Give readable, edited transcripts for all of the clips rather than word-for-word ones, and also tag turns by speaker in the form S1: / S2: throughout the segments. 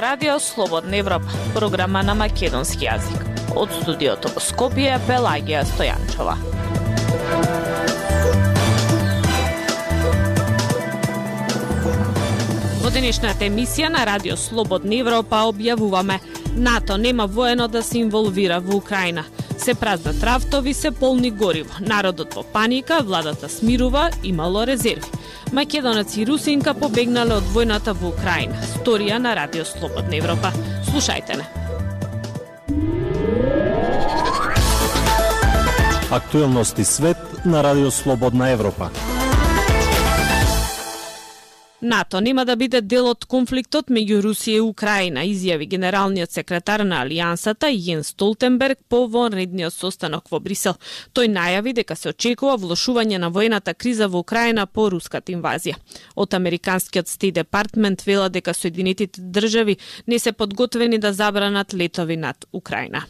S1: ова радио Слободна Европа, програма на македонски јазик. Од студиото во Скопје, Пелагија Стојанчова. Во денешната емисија на радио Слободна Европа објавуваме: НАТО нема воено да се инволвира во Украина. Се празнат рафтови, се полни гориво. Народот во паника, владата смирува, имало резерви. Македонец и русинка побегнале од војната во Украина. Сторија на радио Слободна Европа. Слушајте не.
S2: Актуелности свет на радио Слободна Европа.
S1: НАТО нема да биде дел од конфликтот меѓу Русија и Украина, изјави генералниот секретар на Алијансата Јенс Столтенберг по вонредниот состанок во Брисел. Тој најави дека се очекува влошување на војната криза во Украина по руската инвазија. Од американскиот Стейт Департмент вела дека Соединетите држави не се подготвени да забранат летови над Украина.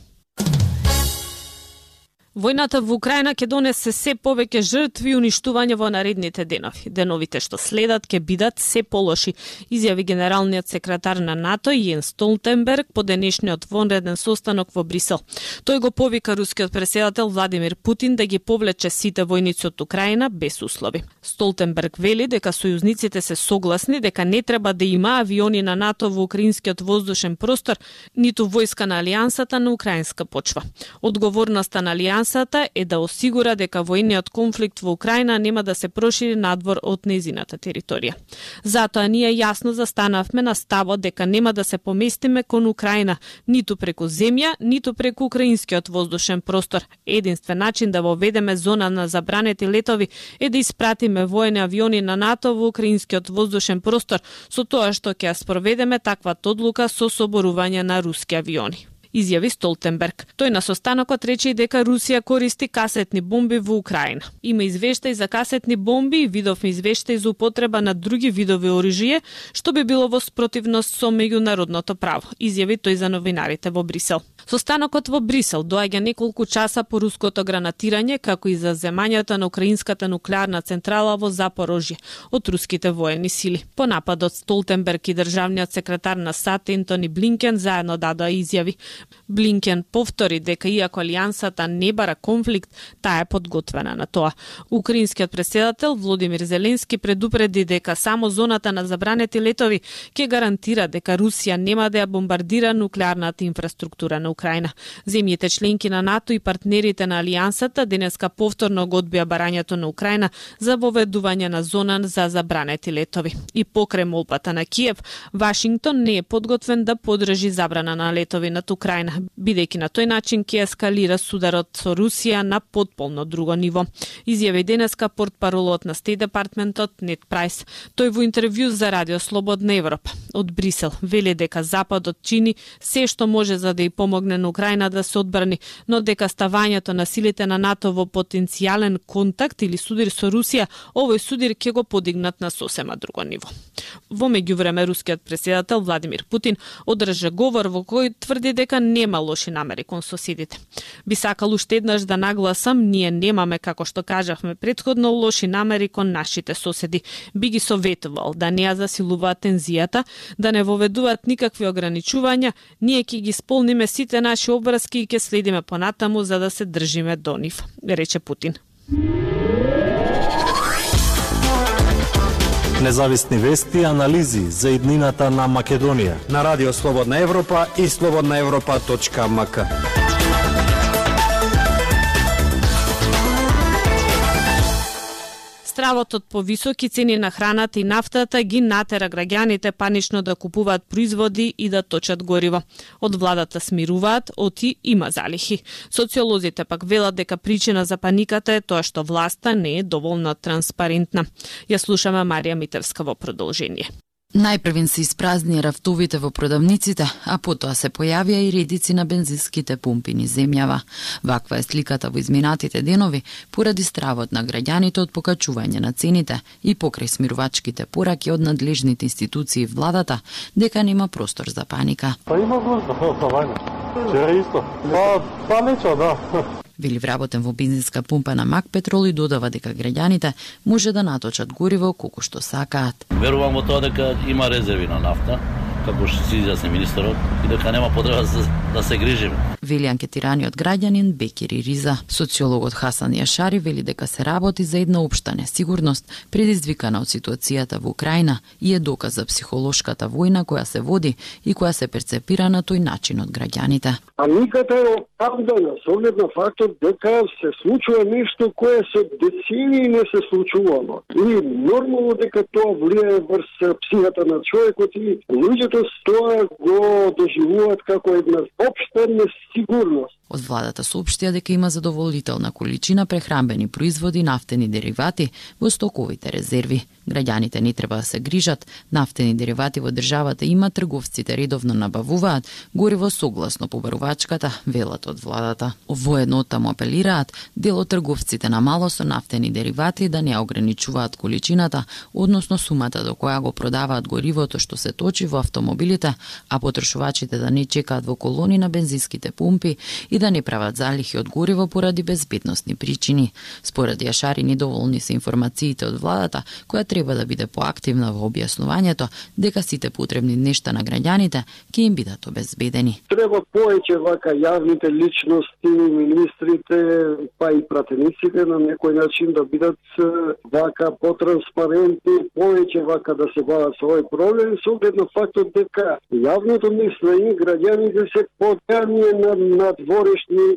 S1: Војната во Украина ќе донесе се повеќе жртви и уништување во наредните денови. Деновите што следат ќе бидат се полоши, изјави генералниот секретар на НАТО Јенс Столтенберг по денешниот вонреден состанок во Брисел. Тој го повика рускиот претседател Владимир Путин да ги повлече сите војници од Украина без услови. Столтенберг вели дека сојузниците се согласни дека не треба да има авиони на НАТО во украинскиот воздушен простор, ниту војска на Алијансата на украинска почва. Одговорноста на Алијансата е да осигура дека војниот конфликт во Украина нема да се прошири надвор од незината територија. Затоа ние јасно застанавме на ставот дека нема да се поместиме кон Украина, ниту преку земја, ниту преку украинскиот воздушен простор. Единствен начин да воведеме зона на забранети летови е да испратиме војни авиони на НАТО во украинскиот воздушен простор, со тоа што ќе ја спроведеме таквата одлука со соборување на руски авиони, изјави Столтенберг. Тој на состанокот рече и дека Русија користи касетни бомби во Украина. Има извештаи за касетни бомби и видовме извештаи за употреба на други видови оружје, што би било во спротивност со меѓународното право, изјави тој за новинарите во Брисел. Состанокот во Брисел доаѓа неколку часа по руското гранатирање, како и за земањето на украинската нуклеарна централа во Запорожје од руските воени сили. По нападот Столтенберг и државниот секретар на САД Ентони Блинкен заедно дадоа изјави. Блинкен повтори дека иако Алијансата не бара конфликт, таа е подготвена на тоа. Украинскиот претседател Володимир Зеленски предупреди дека само зоната на забранети летови ќе гарантира дека Русија нема да ја бомбардира нуклеарната инфраструктура на Украина. Земјите членки на НАТО и партнерите на Алијансата денеска повторно го одбија барањето на Украина за воведување на зона за забранети летови. И покрај молбата на Киев, Вашингтон не е подготвен да подржи забрана на летови над Украина, бидејќи на тој начин ќе ескалира сударот со Русија на потполно друго ниво. Изјави денеска портпаролот на Стейт Департментот Нед Прайс. Тој во интервју за радио Слободна Европа од Брисел вели дека Западот чини се што може за да ја помогне на Украина да се одбрани, но дека ставањето на силите на НАТО во потенцијален контакт или судир со Русија, овој судир ќе го подигнат на сосема друго ниво. Во меѓувреме рускиот претседател Владимир Путин одржа говор во кој тврди дека нема лоши намери кон соседите. Би сакал уште еднаш да нагласам, ние немаме, како што кажавме претходно, лоши намери кон нашите соседи. Би ги советувал да не ја засилуваат тензијата, да не воведуваат никакви ограничувања, ние ќе ги исполниме сите наши обврски и ќе следиме понатаму за да се држиме до нив, рече Путин.
S2: Независни вести и анализи за иднината на Македонија
S3: на радио Слободна Европа и slobodnaevropa.mk.
S1: Стравот од повисоки цени на храната и нафтата ги натера граѓаните панично да купуваат производи и да точат гориво. Од владата смируваат, оти има залихи. Социолозите пак велат дека причина за паниката е тоа што власта не е доволно транспарентна. Ја слушаме Марија Митевска во продолжение.
S4: Најпрвин се испразнија рафтовите во продавниците, а потоа се појавија и редици на бензинските пумпи низ земјава. Ваква е сликата во изминатите денови поради стравот на граѓаните од покачување на цените и покрај смирувачките пораки од надлежните институции в владата дека нема простор за паника.
S5: Па има нужда, вчера исто. Па нечо, да.
S4: Вели вработен во бензинска пумпа на Мак Петрол и додава дека граѓаните може да наточат гориво колку што сакаат.
S6: Верувам во тоа дека има резерви на нафта како што си изјасни министерот, и дека нема потреба да се грижиме.
S4: Вели анкетираниот граѓанин Бекири Риза. Социологот Хасан Јашари вели дека се работи за една општа несигурност предизвикана од ситуацијата во Украина и е доказ за психолошката војна која се води и која се перцепира на тој начин од граѓаните.
S7: А никаде е оправдана со оглед на фактот дека се случува нешто кое со децении не се случувало. И нормално дека тоа влијае врз психата на човекот и луѓето тоа го доживуваат како една општа несигурност.
S4: Од владата соопштија дека има задоволителна количина прехранбени производи, нафтени деривати во стоковите резерви. Граѓаните не треба да се грижат, нафтени деривати во државата има, трговците редовно набавуваат гориво согласно побарувачката, велат од владата. Воедно таму апелираат дел од трговците на мало со нафтени деривати да не ограничуваат количината, односно сумата до која го продаваат горивото што се точи во автомобилите, а потрошувачите да не чекаат во колони на бензинските пумпи и да не прават залихи од гориво поради безбедносни причини. Според Јашари, недоволни се информациите од владата, која треба да биде поактивна во објаснувањето дека сите потребни нешта на граѓаните ќе им бидат обезбедени.
S7: Треба повеќе вака јавните личности, министрите, па и пратениците на некој начин да бидат вака потранспарентни, повеќе вака да се бават со овој проблем, со оглед на фактот дека јавното мислење граѓаните се подјавни на надворешни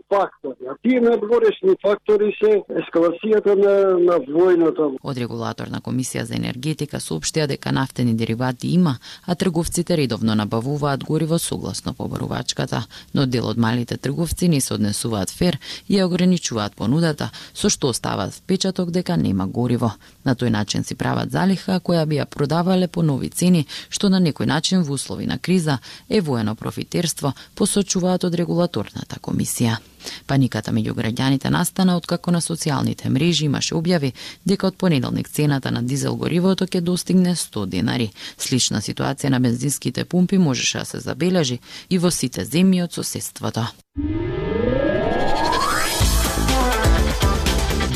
S7: фактори. А тие надворешни фактори се ескалацијата на војната.
S4: Од регулаторна комисија за енергетика соопштија дека нафтени деривати има, а трговците редовно набавуваат гориво согласно побарувачката, но дел од малите трговци не се однесуваат фер и ја ограничуваат понудата, со што оставаат впечаток дека нема гориво. На тој начин си прават залиха која би ја продавале по нови цени, што на некој начин во услови на криза е воено профитерство, посочуваат од регулаторната комисија. Паниката меѓу граѓаните настана откако на социјалните мрежи имаше објави дека од понеделник цената на дизел горивото ќе достигне 100 денари. Слична ситуација на бензинските пумпи можеше да се забележи и во сите земји од соседството.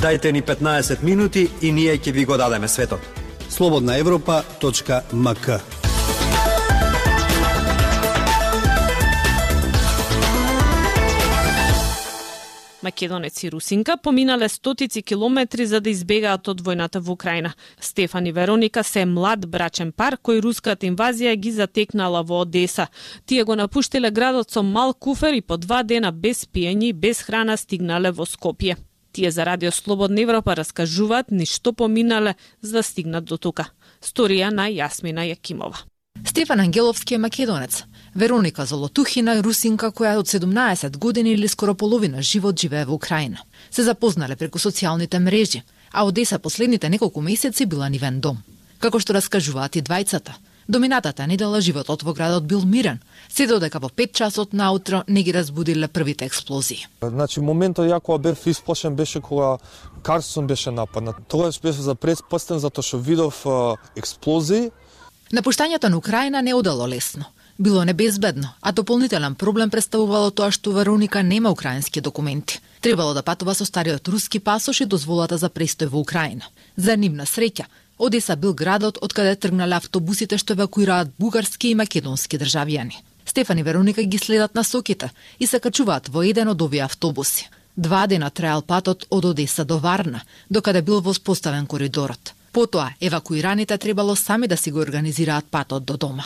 S3: Дајте ни 15 минути и ние ќе ви го дадеме светот.
S8: slobodnaevropa.mk.
S1: Македонец и русинка поминале стотици километри за да избегаат од војната во Украина. Стефан и Вероника се млад брачен пар кој руската инвазија ги затекнала во Одеса. Тие го напуштиле градот со мал куфер и по 2 дена без пиење и без храна стигнале во Скопје. Тие за Радио Слободна Европа раскажуваат ништо поминале за да стигнат до тука. Сторија на Јасмина Јакимова.
S9: Стефан Ангеловски е македонец. Вероника Золотухина е русинка која од 17 години или скоро половина живот живее во Украина. Се запознале преку социјалните мрежи, а Одеса последните неколку месеци била нивен дом. Како што раскажуваат и двајцата, доминатата недела животот во градот бил мирен, се додека во 5 часот наутро не ги разбудиле првите експлозии.
S5: Значи, моментот ја кога бев исплашен беше кога Карсон беше нападнат. Тогаш беше за предпостен затоа што видов експлозии.
S9: Напуштањето на Украина не одало лесно. Било небезбедно, а дополнителен проблем представувало тоа што Вероника нема украински документи. Требало да патува со стариот руски пасош и дозволата за престој во Украина. За нивна среќа, Одеса бил градот од каде тргнале автобусите што евакуираат бугарски и македонски државјани. Стефан и Вероника ги следат насоките и се качуваат во еден од овие автобуси. 2 дена траел патот од Одеса до Варна, докаде бил воспоставен коридорот. Потоа, евакуираните требало сами да си го организираат патот до дома.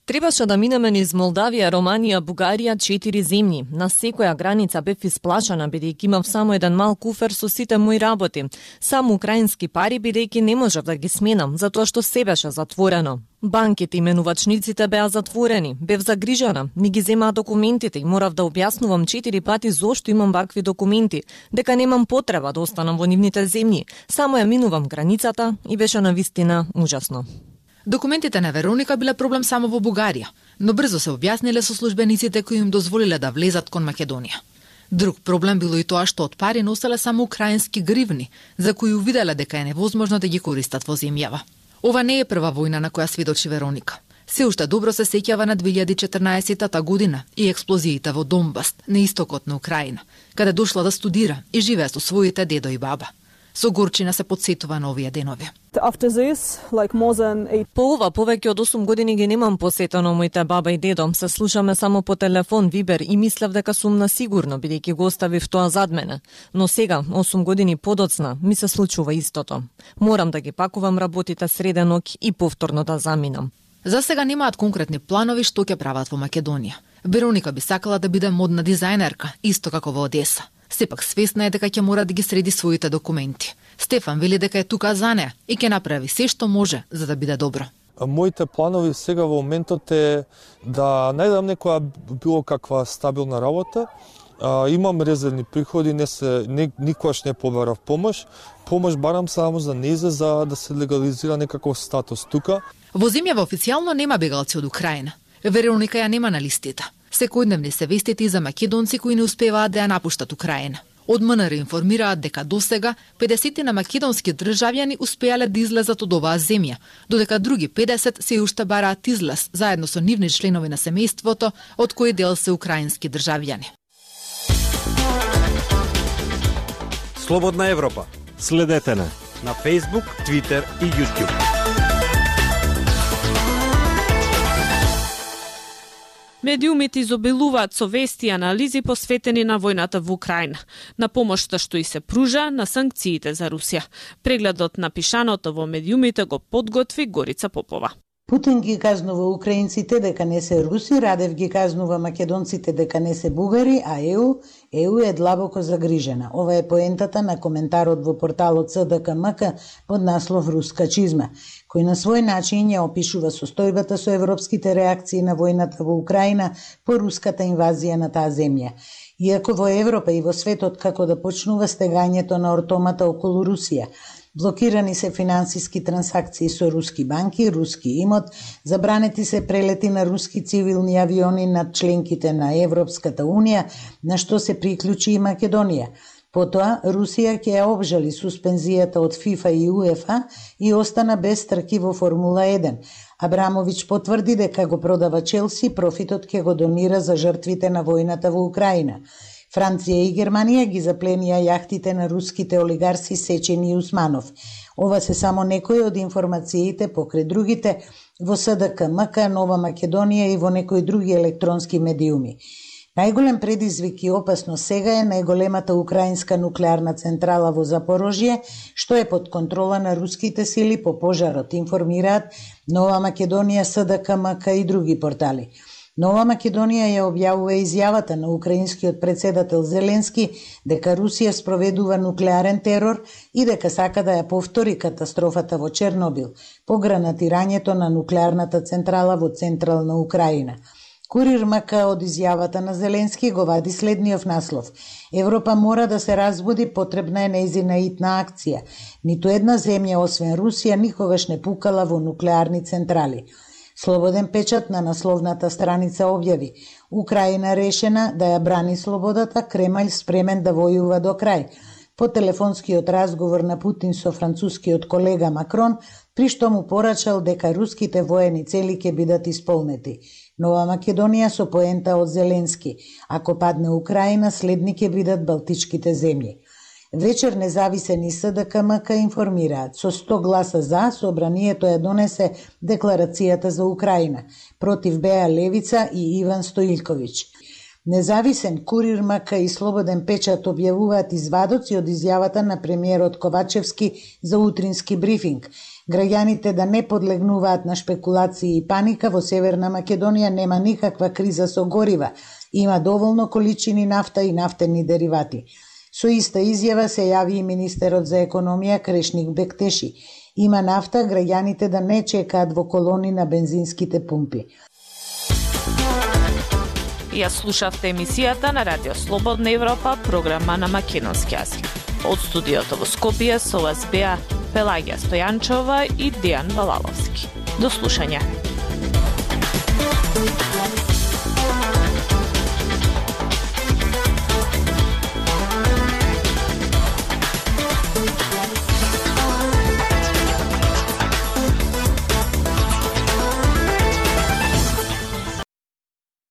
S10: Требаше да минеме низ Молдавија, Романија, Бугарија, 4 земји. На секоја граница бев исплашана, бидејќи имав само еден мал куфер со сите мои работи. Само украински пари, бидејќи не можев да ги сменам, затоа што се беше затворено. Банките и менувачниците беа затворени. Бев загрижена, не ги земаа документите и морав да објаснувам 4 пати зошто имам вакви документи, дека немам потреба да останам во нивните земји. Само ја минувам границата и беше навистина ужасно.
S9: Документите на Вероника биле проблем само во Бугарија, но брзо се објасниле со службениците кои им дозволиле да влезат кон Македонија. Друг проблем било и тоа што од пари носеле само украински гривни, за кои увиделе дека е невозможно да ги користат во земјава. Ова не е прва војна на која сведочи Вероника. Се уште добро се сеќава на 2014 година и експлозиите во Донбас, на истокот на Украина, каде дошла да студира и живее со своите дедо и баба. Со горчина се потсетува на овие денови.
S10: По ова повеќе од 8 години ги немам посетено моите баба и дедо. Се слушаме само по телефон, вибер и мислев дека сум на сигурно, бидејќи го оставив тоа зад мене. Но сега, 8 години подоцна, ми се случува истото. Морам да ги пакувам работите среде ноќ и повторно да заминам.
S9: За сега немаат конкретни планови што ќе прават во Македонија. Вероника би сакала да биде модна дизајнерка, исто како во Одеса. Сепак свесна е дека ќе мора да ги среди своите документи. Стефан вели дека е тука за неа и ќе направи се што може за да биде добро.
S5: Моите планови сега во моментот е да најдам некоја било каква стабилна работа. Имам резервни приходи, никогаш не побарав помош. Помош барам само за нејзе за да се легализира некаков статус тука.
S9: Во земјава официјално нема бегалци од Украина. Вероника ја нема на листите. Секојдневни се вестите и за македонци кои не успеваат да ја напуштат Украина. Од МНР информираат дека досега 50 на македонски државјани успеале да излезат од оваа земја, додека други 50 се уште бараат излез заедно со нивни членови на семејството, од кои дел се украински државјани.
S3: Слободна Европа.
S2: Следете на
S3: Facebook, Twitter и YouTube.
S1: Медиумите изобилуваат со вести и анализи посветени на војната во Украина, на помошта што и се пружа на санкциите за Русија. Прегледот на пишаното во медиумите го подготви Горица Попова.
S8: Путин ги казнува украинците дека не се руси, Радев ги казнува македонците дека не се бугари, а ЕУ е длабоко загрижена. Ова е поентата на коментарот во порталот СДКМК под наслов Руска чизма, кој на свој начин ја опишува состојбата со европските реакции на војната во Украина по руската инвазија на таа земја. Иако во Европа и во светот како да почнува стегањето на ортомата околу Русија, блокирани се финансиски трансакции со руски банки, руски имот, забранети се прелети на руски цивилни авиони над членките на Европската Унија, на што се приклучи и Македонија. Потоа, Русија ќе ја обжали суспензијата од ФИФА и УЕФА и остана без трки во Формула 1. Абрамович потврди дека го продава Челси, профитот ќе го донира за жртвите на војната во Украина. Франција и Германија ги запленија јахтите на руските олигарси Сечени и Усманов. Ова се само некои од информациите покрај другите во СДКМК, Нова Македонија и во некои други електронски медиуми. Најголем предизвик и опасно сега е најголемата украинска нуклеарна централа во Запорожје, што е под контрола на руските сили по пожарот, информираат Нова Македонија, СДКМК и други портали. Нова Македонија ја објавува изјавата на украинскиот председател Зеленски дека Русија спроведува нуклеарен терор и дека сака да ја повтори катастрофата во Чернобил по гранатирањето на нуклеарната централа во централна Украина. Курир МК од изјавата на Зеленски го вади следниот наслов: Европа мора да се разбуди, потребна е нејзина итна акција. Ниту една земја освен Русија никогаш не пукала во нуклеарни централи. Слободен печат на насловната страница објави: Украина решена да ја брани слободата, Кремљ спремен да војува до крај. По телефонскиот разговор на Путин со францускиот колега Макрон, при што му порачал дека руските воени цели ќе бидат исполнети. Нова Македонија со поента од Зеленски: ако падне Украина, следни ќе бидат Балтичките земји. Вечер независен и СДКМК информираат: со 100 гласа за, собранието ја донесе декларацијата за Украина. Против беа Левица и Иван Стоилковиќ. Независен, Курир МК и Слободен печат објавуваат извадоци од изјавата на премиерот Ковачевски за утрински брифинг. Граѓаните да не подлегнуваат на шпекулации и паника, во Северна Македонија нема никаква криза со горива, има доволно количини нафта и нафтени деривати. Со иста изјава се јави и министерот за економија Крешник Бектеши. Има нафта, граѓаните да не чекаат во колони на бензинските пумпи.
S1: Ја слушавте емисијата на Радио Слободна Европа, програма на македонски јазик. Од студиото во Скопје со вас беа Пелагија Стојанчова и Дејан Валаловски. До слушање.